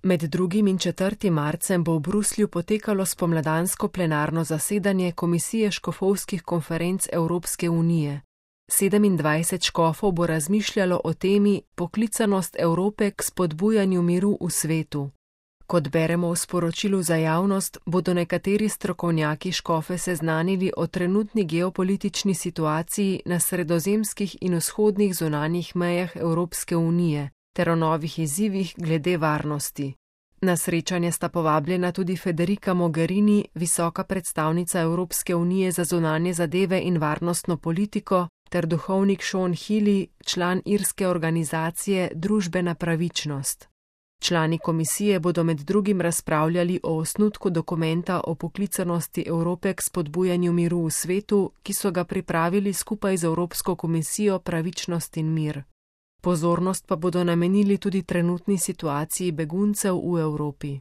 Med 2. in 4. marcem bo v Bruslju potekalo spomladansko plenarno zasedanje Komisije škofovskih konferenc Evropske unije. 27 škofov bo razmišljalo o temi Poklicanost Evrope k spodbujanju miru v svetu. Kot beremo v sporočilu za javnost, bodo nekateri strokovnjaki škofe seznanili o trenutni geopolitični situaciji na sredozemskih in vzhodnih zunanjih mejah Evropske unije ter o novih izzivih glede varnosti. Na srečanje sta povabljena tudi Federica Mogherini, visoka predstavnica Evropske unije za zunanje zadeve in varnostno politiko, ter duhovnik Sean Healy, član irske organizacije Družbena pravičnost. Člani komisije bodo med drugim razpravljali o osnutku dokumenta o poklicanosti Evrope k spodbujanju miru v svetu, ki so ga pripravili skupaj z Evropsko komisijo Pravičnost in mir. Pozornost pa bodo namenili tudi trenutni situaciji beguncev v Evropi.